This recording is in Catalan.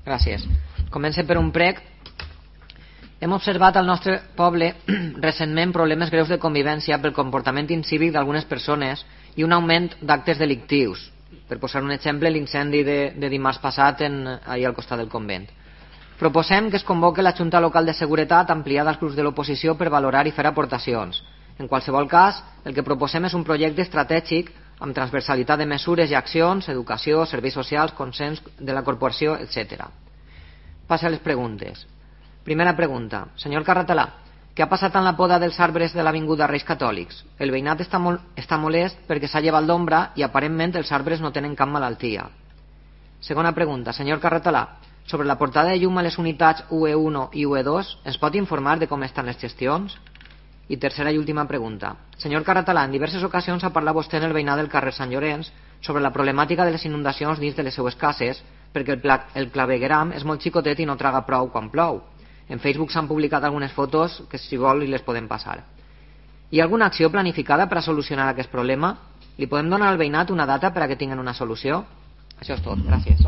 Gràcies. Comença per un prec. Hem observat al nostre poble recentment problemes greus de convivència pel comportament incívic d'algunes persones i un augment d'actes delictius. Per posar un exemple, l'incendi de dimarts passat ahir al costat del convent. Proposem que es convoque la Junta Local de Seguretat ampliada als grups de l'oposició per valorar i fer aportacions. En qualsevol cas, el que proposem és un projecte estratègic amb transversalitat de mesures i accions, educació, serveis socials, consens de la corporació, etc. Passa a les preguntes. Primera pregunta. Senyor Carratalà, què ha passat amb la poda dels arbres de l'avinguda Reis Catòlics? El veïnat està molest perquè s'ha llevat l'ombra i aparentment els arbres no tenen cap malaltia. Segona pregunta. Senyor Carratalà, sobre la portada de llum a les unitats UE1 i UE2, ens pot informar de com estan les gestions? I tercera i última pregunta. Senyor Carratalà, en diverses ocasions ha parlat vostè en el veïnat del carrer Sant Llorenç sobre la problemàtica de les inundacions dins de les seues cases perquè el clavegueram és molt xicotet i no traga prou quan plou. En Facebook s'han publicat algunes fotos que si vol li les podem passar. Hi ha alguna acció planificada per a solucionar aquest problema? Li podem donar al veïnat una data per a que tinguin una solució? Això és tot, gràcies.